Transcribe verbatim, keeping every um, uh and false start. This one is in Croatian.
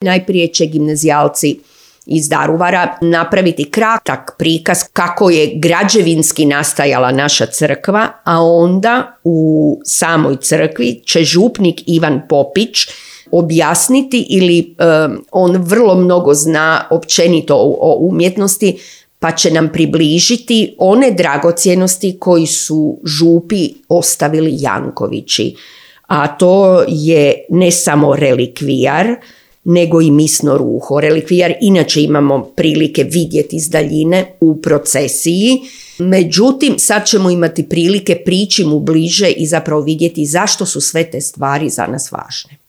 Najprije će gimnazijalci iz Daruvara napraviti kratak prikaz kako je građevinski nastajala naša crkva, a onda u samoj crkvi će župnik Ivan Popić objasniti ili um, on vrlo mnogo zna općenito o, o umjetnosti, pa će nam približiti one dragocjenosti koji su župi ostavili Jankovići. A to je ne samo relikvijar, nego i misno ruho. Relikvijar inače imamo prilike vidjeti iz daljine u procesiji, međutim sad ćemo imati prilike prići mu bliže i zapravo vidjeti zašto su sve te stvari za nas važne.